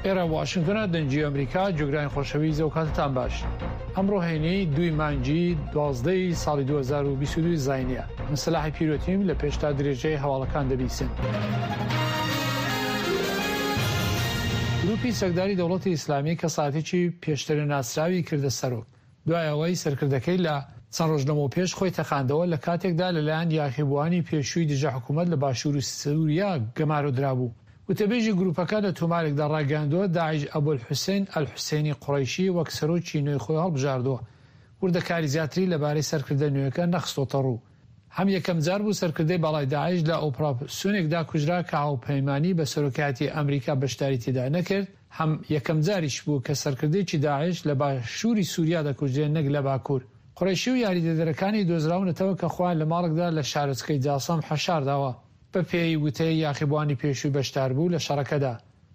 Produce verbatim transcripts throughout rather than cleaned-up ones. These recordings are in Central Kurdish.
ئێرە واشنگتۆنە، دەنگی ئەمریکا. جوگرانی خۆشەویست، ئەو کاتتان باش. ئەمڕۆ هەینی دووی مانگی دوازدەی ساڵی دوو هەزار و بیست و دوو زاینیە. من سەلاحی پیرۆتیم لە پێشتا درێژەی هەواڵەکان دەبیسن. گروپی چەکداری دەوڵەتی ئیسلامی کەساتێکی پێشتر ناسراوی کردە سەرۆک، دوای ئەوەی سەرکردەکەی لە چەند ڕۆژ لەمەوپێش خۆی تەقاندەوە لە کاتێکدا لەلایەن یاخیبووانی پێشووی دژە حکوومەت لە باشوور سووریا گەمارۆ درابوو. وتەبێژی گروپەکە لە تۆمارێکدا ڕاگەیاندووە داعش ئەبولحوسێن ئەلحوسێنی قوڕەیشی وەک سەرۆکی نوێی خۆی هەڵبژاردووە. وردەکاری زیاتری لەبارەی سەرکردە نوێیەکە نەخستۆتە ڕوو. هەم یەکەم جار بوو سەرکردەی باڵای داعش لە ئۆپراسیۆنێکدا کوژرا کە هاوپەیمانی بە سەرۆکایەتی ئەمریکا بەشداری تێدا نەکرد، هەم یەکەم جاریش بوو کە سەرکردەیەکی داعش لە باشووری سووریا دەکوژرێ نەک لە باکوور. قوڕەیشی و یاریدەدەرەکانی دۆزراونەتەوە کە خۆیان لە ماڵێکدا لە شارۆچکەی جاسەم حەشارداوە. بەپێی وتەی یاخیبووانی پێشووی بەشداربوو لە شەڕەکەدا.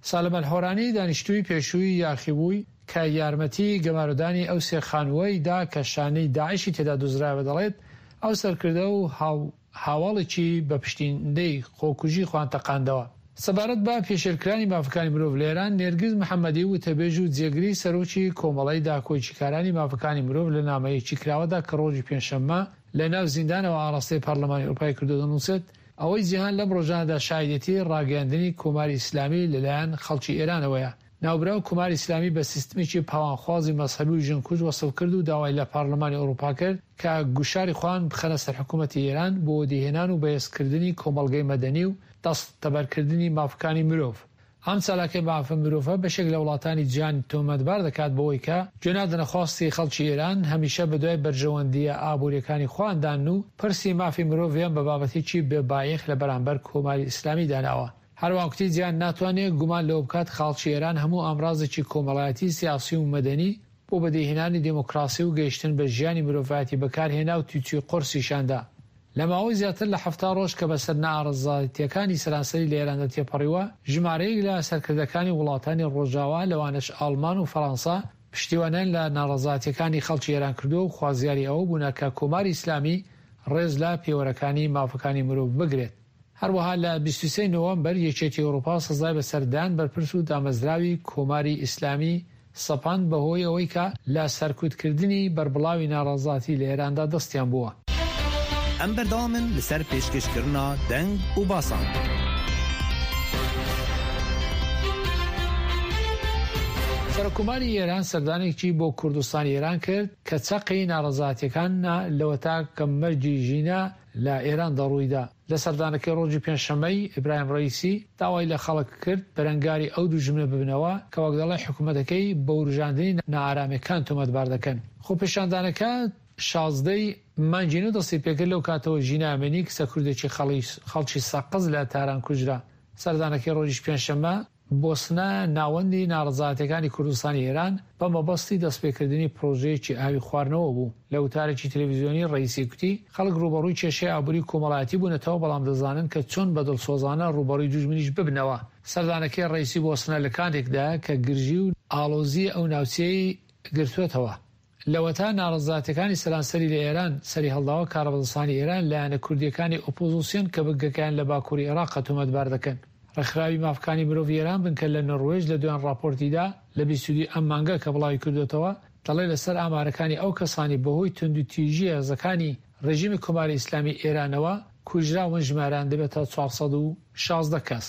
سالم ئەلحۆرانی دانیشتووی پێشووی یاخیبووی کە یارمەتی گەمارۆدانی ئەو سێ خانووەی دا کە شانەی داعشی تێدا دۆزرایەوە دەڵێت ئەو سەرکردە و هاواڵێکی بە پشتیندەی خۆکوژی خۆیان تەقاندەوە. سەبارەت بە پێشێلکرانی مافەکانی مرۆڤ لە ئێران، نێرگز محەممەدی وتەبێژ و جێگری سەرۆکی کۆمەڵەی داکۆکیکارانی مافەکانی مرۆڤ لە نامەیەکی کراوەدا کە ڕۆژی پێنجشەممە لە ناو زیندانەوە ئاراستەی پەرلەمانی ئەوروپای کردو دەنووسێت ئەوەی جیهان لەم ڕۆژانەدا شاهیدێتی ڕاگەیاندنی کۆماری ئیسلامی لەلایەن خەڵکی ئێرانەوەیە. ناوبراو کۆماری ئیسلامی بە سیستمێکی پاوانخوازی مەزهەبی و ژنکوژ وەسف کرد و داوای لە پەرلەمانی ئەوروپا کرد کە گوشاری خۆیان بخەنە سەر حکوومەتی ئێران بۆ وەدیهێنان و بەهێزکردنی کۆمەڵگەی مەدەنی و دەستەبەرکردنی مافەکانی مرۆڤ. ئەم چالاکەی مافە مرۆڤە بەشێک لە وڵاتانی جیهان تۆمەتبار دەکات بەوەی کە گوێنادەنە خواستی خەڵکی ئێران، هەمیشە بەدوای بەرژەوەندییە ئابووریەکانی خۆیاندان و پرسی مافی مرۆڤیان بە بابەتێکی بێبایەخ لە بەرامبەر کۆماری ئیسلامی داناوە. هەروەها کوتی جیهان ناتوانێت گومان لەوە بکات خەڵکی ئێران هەموو ئامرازێکی کۆمەڵایەتی، سیاسی و مەدەنی بۆ بەدیهێنانی دێموکراسی و گەیشتن بە ژیانی مرۆڤایەتی بەکارهێنا و تووچی قورسیشاندا. لە ماوەی زیاتر لە حەفتا ڕۆژ کە بەسەر ناڕەزایەتیەکانی سەرانسەری لە ئێراندا تێپەڕیوە، ژمارەیەک لە سەرکردەکانی وڵاتانی ڕۆژاوا لەوانەش ئاڵمان و فەڕەنسا پشتیوانیان لە ناڕەزایەتیەکانی خەڵکی ئێران کردووە و خوازیاری ئەوە بوونە کە کۆماری ئیسلامی ڕێز لە پێوەرەکانی مافەکانی مرۆڤ بگرێت. هەروەها لە بیست و سێ نۆوەمبەر یەکێتی ئەوروپا سزای بەسەردان بەرپرس و دامەزراوی کۆماری ئیسلامی سەپاند بەهۆی ئەوەی کە لە سەرکوتکردنی بەربڵاوی ناڕەزاتی لە ئێراندا دەستیان بووە. ئەم بەردەوامن لەسەر پێشکەشکردنا دەنگ و باسان. سەرۆککۆماری ئێران سەردانێکی بۆ کوردستانی ئێران کرد کە چەقی ناڕەزایەتیەکان لەوەتا کە مەرگی ژینا لە ئێران دەڕوویدا. لە سەردانەکەی ڕۆژی پێنجشەممەی ئیبراهیم ڕەئیسی داوای لە خەڵک کرد بەرەنگاری ئەو دوژمنە ببنەوە کە وەک دەڵێ حکوومەتەکەی بە وروژاندنی نائارامیەکان تۆمەتبار دەکەن. خۆپێشاندانەکە شازدەی مانگی نۆ دەستی پێکرد لەو کاتەوە ژینا ئەمینی کچە کوردێکی خەڵکی سەقز لە تاران کوژرا. سەردانەکەی ڕۆژی پێنجشەممە بۆ سنە ناوەندی ناڕەزایەتیەکانی کوردستانی ئێران بە مەبەستی دەستپێکردنی پرۆژەیەکی ئاوی خواردنەوە بوو. لە وتارێکی تەلەڤیزیۆنی ڕەئیسی کوتی خەڵک ڕووبەڕووی کێشەی ئابووری کۆمەڵایەتی بوونەتەوە، بەڵام دەزانن کە چۆن بە دڵسۆزانە ڕووبەڕووی دوژمنیش ببنەوە. سەردانەکەی ڕەئیسی بۆ سنە لە کاتێکدا کە گرژی و ئاڵۆزی ئەو ناوچەیەی گرتووەتەوە. لەوەتا ناڕەزایەتیەکانی سەرانسەری لە ئێران سەری هەڵداوە، کاربەدەستانی ئێران لایەنە کوردیەکانی ئۆپۆزیسیۆن کە بنکەکەیان لە باکووری عێراق تۆمەتبار دەکەن. ڕێکخراوی مافەکانی مرۆڤ ئێران بنکە لە نۆروێژ لە دوایان ڕاپۆرتیدا لە بیست و دوو ئەم مانگە کە بڵاوی کردوێتەوە دەڵێ لەسەر ئامارەکانی ئەو کەسانی بەهۆی توندوتیژی هێزەکانی ڕژیمی کۆماری ئیسلامی ئێرانەوە کوژراون ژمارەیان دەبێتە چوار سەد و شازدە کەس.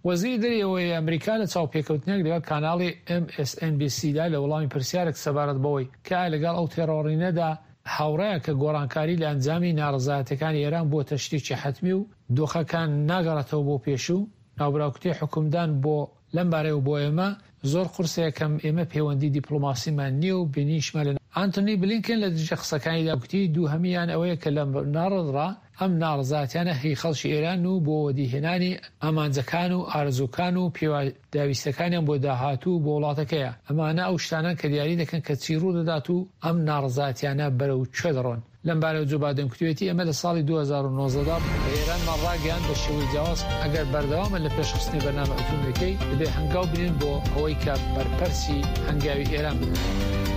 وەزیری دەرەوەی ئەمریکا لە چاوپێکەوتنێک لەگەڵ کاناڵی ئێم ئێس ئێن بی سی دا لە وەڵامی پرسیارێک سەبارەت بەوەی کە ئایا لەگەڵ ئەو تێڕۆڕینەدا هاوڕایە کە گۆڕانکاری لە ئەنجامی ناڕەزایەتیەکانی ئێران بووەتە شتێکی حەتمی و دۆخەکان ناگەڕێتەوە بۆ پێشوو، ناوبراو کوتی حکومدان بۆ لەم بارەیەوە بۆ ئێمە زۆر قورسە، یەکەم ئێمە پەیوەندی دیپلۆماسیمان نییە و بینیشمان لە ئەنتۆنی بلینکن لە دژە قسەکانیدا کوتی دووهەمیان ئەوەیە کە لەم ناڕەزا ئەم ناڕەزایەتیانە هی خەڵکی ئێران و بۆ وەدیهێنانی ئامانجەکان و ئارەزووکان و پێداویستەکانیان بۆ داهاتوو بۆ وڵاتەکەیە. ئەمانە ئەو شتانەن کە دیاری دەکەن کە چی ڕوو دەدات و ئەم ناڕەزایەتیانە بەرەو کوێ دەڕۆن. لەم بارەوە جۆ بایدن کوتوێتی ئێمە لە ساڵی دوو هەزار و نۆزدە دا بە ئێرانمان ڕاگەیاند بە شێوەی جیاواز ئەگەر بەردەوامن لە پێشخستنی بەرنامە ئەتۆمیەکەی دەبێ هەنگاو بنێن بۆ ئەوەی کە بەرپەرسی هەنگاوی ئێران بدەن.